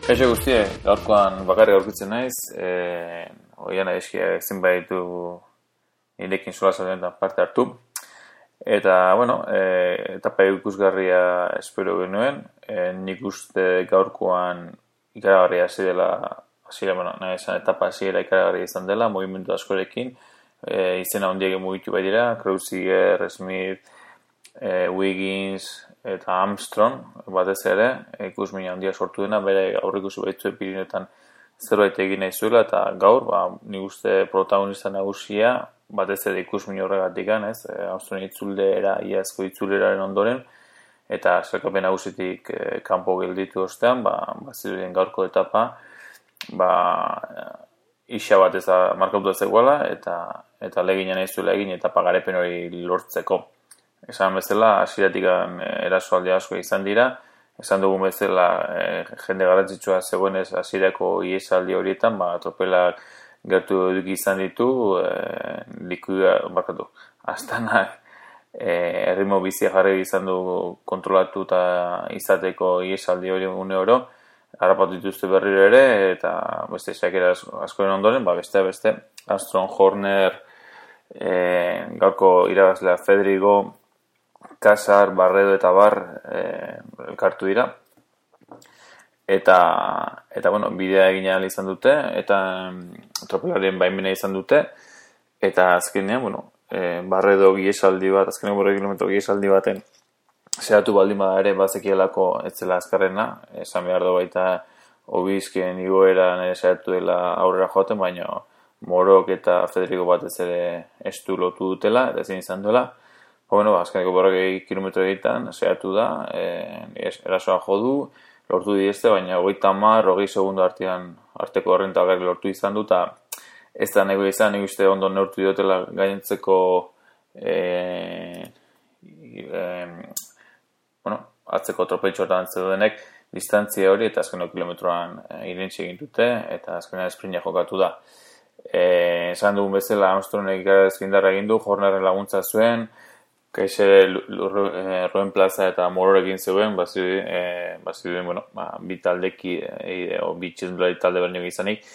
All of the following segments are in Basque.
Kaixo guztie, gaurkoan bakarrik aurkitzen naiz, oian aizkia zenbaitu nirekin solasaldean parte hartu. Eta, bueno, etapa ikusgarria espero genuen, nik uste gaurkoan ikaragarria etapa hasiera ikaragarria izan dela, mugimendu askorekin, izena handiak mugitu bai dira, Kreuziger, Smith, Wiggins eta Armstrong batez ere ikusmin handia sortu dena, bere aurrikusi baitzuen Pirineoetan zerbait egin nahi zuela, eta gaur, nik uste protagonista nagusia batez ere ikusmin horregatik Armstrong itzulera, iazko itzuleraren ondoren, eta sailkapen nagusitik kanpo gelditu ostean, bazirudien gaurko etapa, isa bat ez da markatu zegoela, eta legina nahi zuela egin etapa garepen hori lortzeko. Esan bezala, hasieratik erasoaldi asko izan dira, esan dugun bezala jende garrantzitsua zegoenez hasierako iesaldi horietan, tropelak gertu izan ditu, Astanak erritmo bizia jarri izan du kontrolatu eta izateko iesaldi hori une oro, harrapatu dituzte berriro ere, eta beste xakera askoren ondoren, beste Armstrong, Horner, gaurko irabazlea Federico, Kasar, Barredo eta Bar elkartu dira. Eta bueno, bidea egin ahal izan dute, eta tropelaren baimena izan dute, eta azkenean, bueno, Barredo giesaldi bat, azkenean 5 kilometro giesaldi baten zehatu baldin bada ere bazekielako ez zela azkarrena, esan behar du baita Obizkien igoera nire zehatu dela aurrera joaten, baina Morok eta Federico batez ere estu lotu dutela, eta ezin izan duela. Bueno, azkeneko 40 kilometro egiten, zehatu da, erasoa jodu, lortu dieste, baina 30-20 segundo arteko horrentagarri lortu izan du, eta ez da nego izan, nik uste ondo neurtu diotela gainentzeko atzeko tropeltxotan zedudenek distantzia hori, eta azkeneko kilometroan irentzi egin dute, eta azkenean esprinta jokatu da. Esan dugun bezala, Armstrongek ikararazkindarra egin du, Hornerren laguntza zuen, Kaixere Roen Plaza eta Mororekin zeuden, baziruden, bi taldeki, bi txizmulari talde bernik izanik,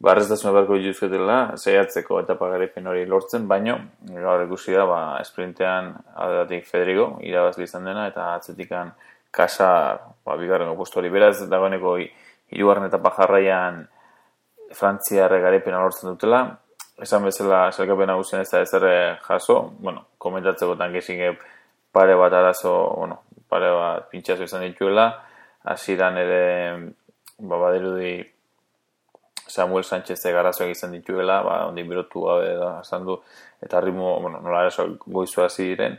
barreztasuna beharko dituzketela, saiatzeko etapa garaipen hori lortzen, baino, gaur ikusi da, esprintean aldatik Federico, irabazle izan dena, eta atzetikan Kasar, bigarrengo postu hori. Beraz, dagoeneko 3. etapa jarraian Frantziarre garaipena lortzen dutela, esan bezala sailkapen nagusian ez da ezer jaso, komentatzeko tankesik pare bat arazo, pare bat pintxazo izan dituela, hasieran ere badirudi Samuel Sánchez garazoak izan dituela, ondi birotu gabe da esan du, eta ritmo, nola arazo goizu hasi diren,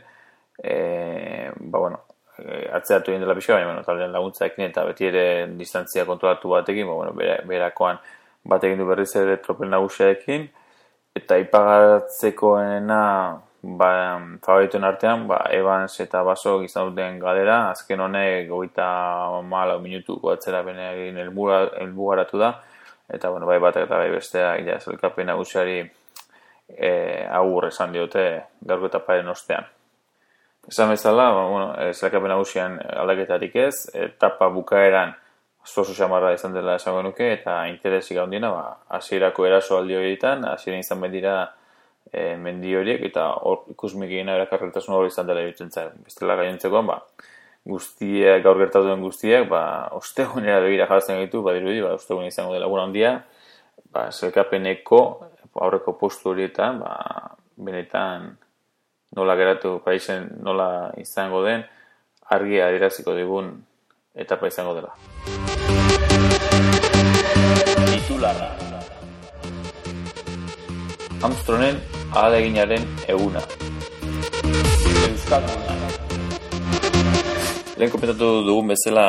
atzeatu egin dela pixka, baina taldean laguntzaekin eta beti ere distantzia kontrolatu batekin, berakoan bat egin du berriz ere tropel nagusiaekin, eta ipagatzekoena favorituen artean, Evans eta Baso izan duten galera, azken honek 34 minutuko atzerapenean helbugaratu da, eta bai batak eta bai bestea sailkapen nagusiari agur esan diote gaurko etaparen ostean. Esan bezala, sailkapen nagusian aldaketarik ez, etapa bukaeran oso xamarra izan dela esango nuke, eta interesik handiena, hasierako erasoaldi horietan, hasieran izan dira mendi horiek, eta ikusmik egina erakarretasun hori izan dela iruditzen zaren. Bestela gainontzekoan, guztiak, gaur gertatu den guztiak, ostegunera begira jartzen gaitu, badirudi, ostegun izango dela gura handia, sailkapeneko aurreko postu horietan, benetan nola geratu Parisen, nola izango den, argi adieraziko digun etapa izango dela. Titularra Armstrongen ahaleginaren eguna. Euskalduna. Lehen komentatu dugun bezala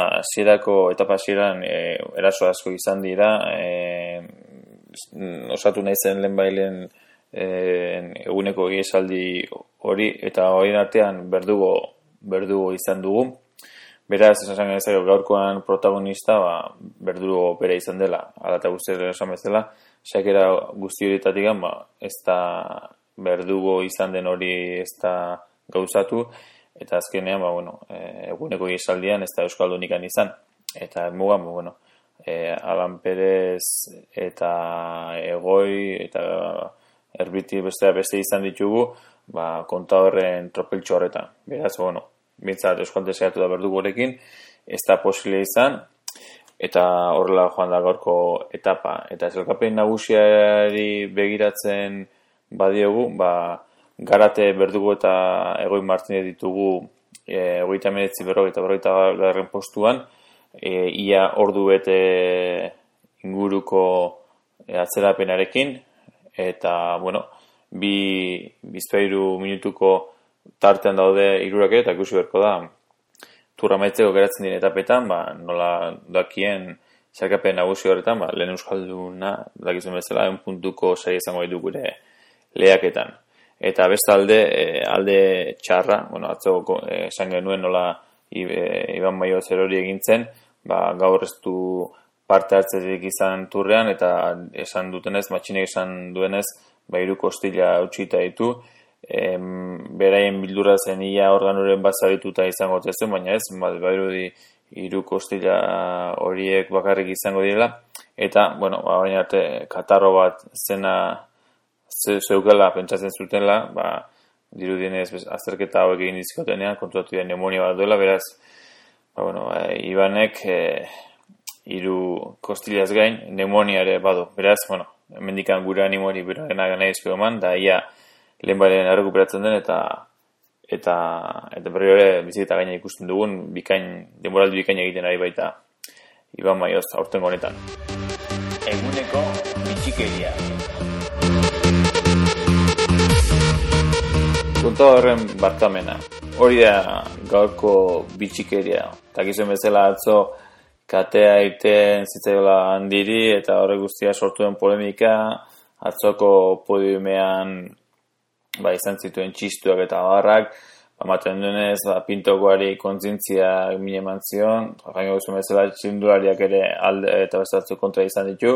etapa hasieran eraso asko izan dira, osatu nahi zen lehenbailen eguneko esaldi hori, eta horien artean berdugo izan dugu. Beraz, esan genezak gaurkoan protagonista, Berdugo bera izan dela, ala eta guztiak esan bezala, xakera guzti horietatik, ez da Berdugo izan den hori ez da gauzatu, eta azkenean, eguneko esaldian ez da Euskaldunikan izan. Eta mugan, Alan Perez eta Egoi eta Erbiti beste izan ditugu, Kontadorren tropeltxo horretan. Beraz, bintzat Euskaltel saiatu da Berdugorekin, ez da posible izan, eta horrela joan da gaurko etapa. Eta sailkapen nagusiari begiratzen badiogu, Garate, Berdugo eta Egoi Martinez ditugu 39, 40 garren postuan, ia ordu bete inguruko atzerapenarekin, eta, bizpairu minutuko tartean daude hirurak eta ikusi beharko da turra maitzeko geratzen diren etapetan, nola dakien sailkapen nagusi horretan, lehen euskalduna dakizuen bezala 1 puntuko saria izango ditu gure lehiaketan. Eta bestalde, alde txarra, atzo esan genuen nola Iban Maioz erori egintzen, gaur ez du parte hartzetik izan turrean, eta esan dutenez, matxinek esan duenez, 3 kostila utxita ditu, beraien bildura zen ia organuren bazarituta izango tezen, baina ez, badirudi 3 kostila horiek bakarrik izango direla, eta, baina arte, katarro bat zena zeukela pentsatzen zutela, dirudienez azterketa hauek egin dizkotenean, kontuatu da pneumonia bat duela, beraz, Ibanek 3 kostilaz gain pneumonia ere badu. Beraz, hemendikan gure animori berarena gana izko eman, da ia lehen baren errekuperatzen den, eta berri hori biziketa gaina ikusten dugun, denboraldi bikain egiten ari baita Iban Maioz aurtengo honetan. Eguneko bitxikeria. Kontadorren barkamena. Hori da gaurko bitxikeria. Takizuen bezala atzo katea egiten zitzaiola handiri eta horrek guztia sortu den polemika. Atzoko podiumean izan zituen txistuak eta barrak. Ematen duenez, Pintokoari kontzientzia mine eman zion. Jaino guztien bezala txindulariak ere alde eta bestatzu kontra izan ditu.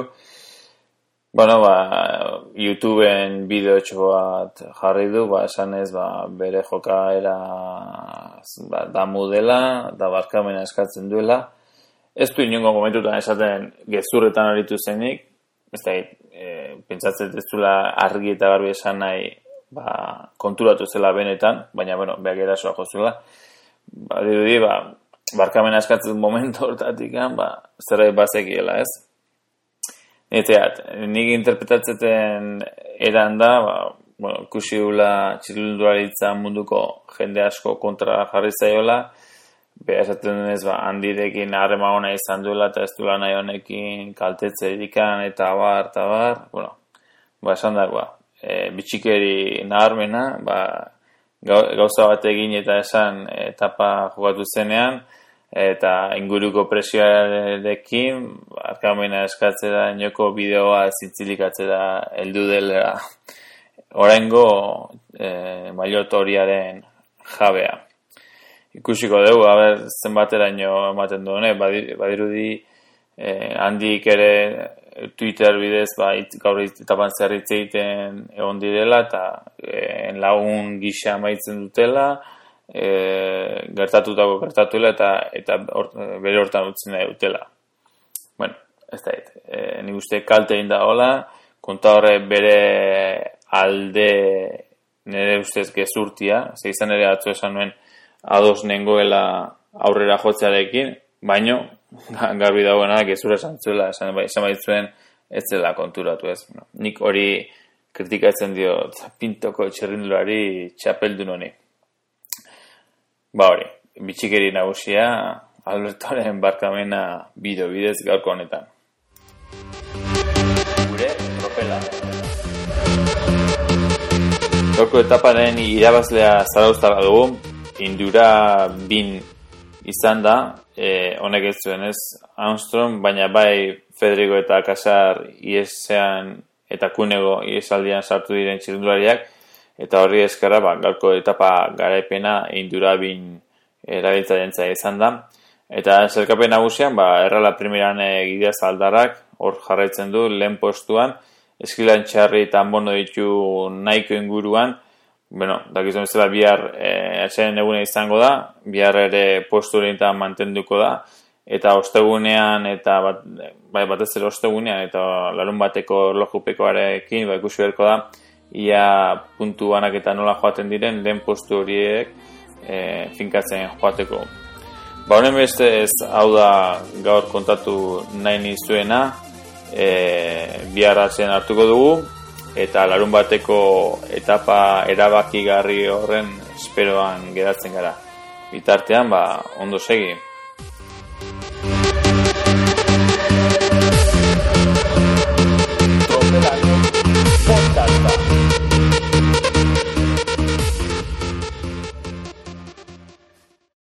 YouTubeen bideotxo bat jarri du, esan ez, bere jokaera damu dela, da barkamena eskatzen duela. Ez du inongo momentutan esaten gezurretan aritu zenik, ez da, pentsatzen ez duela argi eta garbi esan nahi konturatu zela benetan, baina, behak erasoa jozuela. Dirudi, barkamena eskatzen momentu hortatik, zerbait bazekiela, ez? Nik interpretatzen eran da, ikusi dula txirrindularitza munduko jende asko kontra jarri zaiola, esaten denez, handirekin harrema ona izan duela, eta ez duela nahi honekin kaltetze edikan, eta bar, esan dagoa, bitxikeri naharmena, gauza bat egin eta esan etapa jokatu zenean, eta inguruko presioarekin barkamena eskatzera inoko bideoa zitzilikatzera heldu dela oraingo maillot horiaren jabea. Ikusiko dugu, zenbateraino ematen duen, badirudi handik ere Twitter bidez gaur etapan zerritze egiten egon direla eta lagun gisa amaitzen dutela, gertatuela eta bere hortan utzen nahi dutela. Ez da, nik uste kalte egin da hola, Kontadorre bere alde nire ustez gezurtia, izan ere atzo esan nuen ados nengoela aurrera jotzearekin, baino garbi dagoena gezura esan zuela, esan baitzuen ez zela konturatu ez. Nik hori kritikatzen diot Pintoko txirrindulari txapeldun honi. Hori, bitxikeri nagusia Albertoren barkamena bidez gaurko honetan. Gure tropela. Gaurko etaparen irabazlea zarauztarra dugu, Indura bin izan da, honek ez zuen ez Armstrong, baina bai Federico eta Casar iesean eta Kunego iesaldian sartu diren txirrindulariak, eta horri eskerra, gaurko etapa garaipena Indura bin erabiltzailentza izan da. Eta sailkapen nagusian, errala primeran Gideaz Aldarrak, hor jarraitzen du, lehen postuan, Eskilan Txarri eta Anbono ditu nahiko inguruan, dakizuen bezala bihar etxaren eguna izango da, bihar ere postu horietan mantenduko da, eta ostegunean eta batez ere ostegunean eta larun bateko erlojupekoarekin ikusi beharko da ia puntu banaketa nola joaten diren lehen postu horiek finkatzen joateko. Honen bestez, hau da gaur kontatu nahi nizuena, bihar atzean hartuko dugu, eta larun bateko etapa erabakigarri horren esperoan geratzen gara. Bitartean, ondo segi.